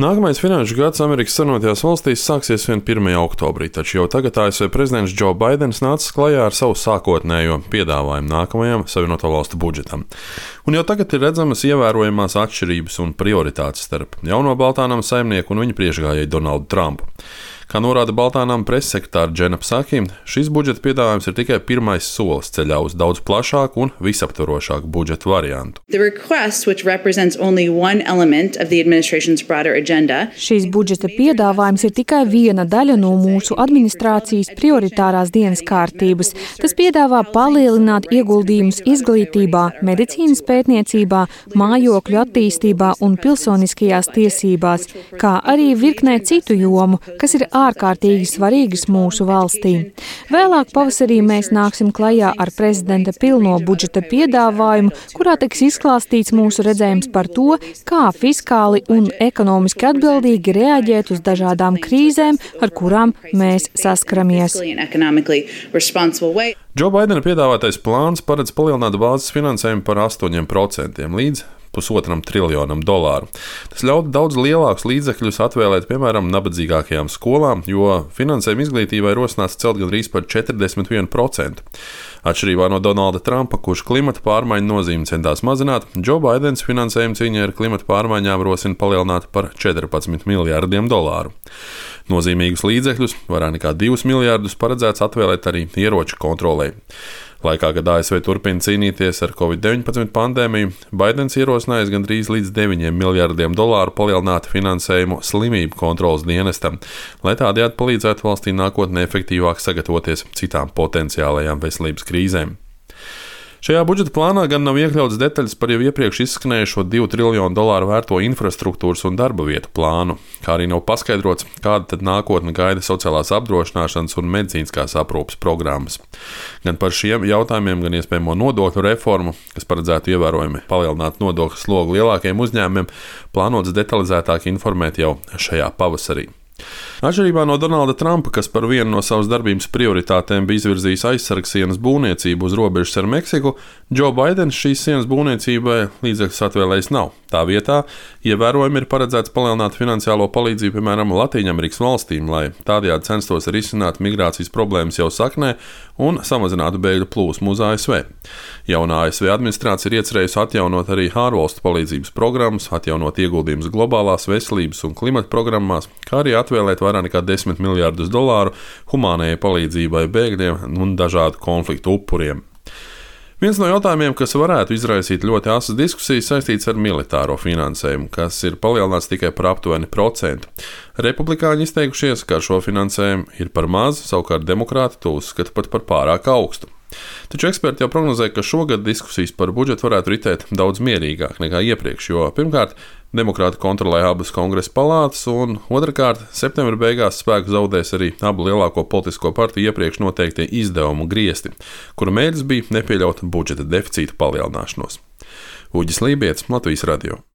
Nākamais finanšu gads Amerikas Savienotajās valstīs sāksies 1. oktobrī, taču jau tagad ASV prezidents Džo Baidens nācis klajā ar savu sākotnējo piedāvājumu nākamajam Savienoto valstu budžetam. Un jau tagad ir redzamas ievērojamās atšķirības un prioritātes starp jauno Baltānam saimnieku un viņa priekšgājēju Donaldu Trumpu. Kā norāda Baltānam pressekretāra Džena Psaki, šis budžeta piedāvājums ir tikai pirmais solis ceļā uz daudz plašāku un visaptvarošāku budžeta variantu. Šīs budžeta piedāvājums ir tikai viena daļa no mūsu administrācijas prioritārās dienas kārtības. Tas piedāvā palielināt ieguldījumus izglītībā, medicīnas pētniecībā, mājokļu attīstībā un pilsoniskajās tiesībās, kā arī virknē citu jomu, kas ir ārkārtīgi svarīgas mūsu valstī. Vēlāk pavasarī mēs nāksim klajā ar prezidenta pilno budžeta piedāvājumu, kurā tiks izklāstīts mūsu redzējums par to, kā fiskāli un ekonomiski atbildīgi reaģēt uz dažādām krīzēm, ar kurām mēs saskaramies. Džo Baidena piedāvātais plāns paredz palielināt bāzes finansējumu par 8% līdz $1,5 triljonam. Tas ļautu daudz lielākus līdzekļus atvēlēt, piemēram, nabadzīgākajām skolām, jo finansējumu izglītībai rosināts celt gandrīz par 41%. Atšķirībā no Donalda Trumpa, kurš klimata pārmaiņu nozīmi centās mazināt, Džo Baidens finansējumu cīņai ar klimata pārmaiņām rosina palielināt par $14 miljardiem. Nozīmīgus līdzekļus, vairāk nekā 2 miljardus, paredzēts atvēlēt arī ieroču kontrolei. Laikā, kad ASV turpina cīnīties ar Covid-19 pandēmiju, Baidens ierosinājis gandrīz līdz $9 miljardiem palielināt finansējumu slimību kontrolas dienestam, lai tādējādi palīdzētu valstī nākotnē efektīvāk sagatavoties citām potenciālajām veselības krīzēm. Šajā budžeta plānā gan nav iekļauts detaļas par jau iepriekš izskanējušo $2 triljonu vērto infrastruktūras un darba vietu plānu, kā arī nav paskaidrots, kāda tad nākotne gaida sociālās apdrošināšanas un medicīniskās aprūpes programmas. Gan par šiem jautājumiem, gan iespējamo nodokļu reformu, kas paredzētu ievērojami palielināt nodokļu slogu lielākajiem uzņēmumiem, plānots detalizētāk informēt jau šajā pavasarī. Atšķirībā no Donalda Trumpa, kas par vienu no savas darbības prioritātēm bija izvirzījis aizsargsienas būvniecību uz robežas ar Meksiku, Džo Baidens šīs sienas būvniecībai līdzekļus atvēlējis nav. Tā vietā ievērojami ir paredzēts palielināt finansiālo palīdzību, piemēram, Latīņamerikas valstīm, lai tādējādi censtos risināt migrācijas problēmas jau saknē un samazinātu bēgļu plūsmu uz ASV. Jaunā ASV administrācija ir iecerējusi atjaunot arī ārvalstu palīdzības programmas, atjaunot ieguldījumus globālās veselības un klimata programmās, kā arī atvēlēt vairāk nekā $10 miljardus humānajai palīdzībai bēgļiem un dažādu konfliktu upuriem. Viens no jautājumiem, kas varētu izraisīt ļoti asas diskusijas, saistīts ar militāro finansējumu, kas ir palielināts tikai par aptuveni 1%. Republikāņi izteikušies, ka šo finansējumu ir par maz, savukārt demokrāti to uzskata pat par pārāk augstu. Taču eksperti jau prognozē, ka šogad diskusijas par budžetu varētu ritēt daudz mierīgāk nekā iepriekš, jo pirmkārt, demokrāti kontrolē abas kongresa palātas, un otrkārt, septembra beigās spēku zaudēs arī abu lielāko politisko partiju iepriekš noteiktie izdevumu griesti, kura mērķis bija nepieļaut budžeta deficīta palielināšanos. Uģis Lībietis, Latvijas radio.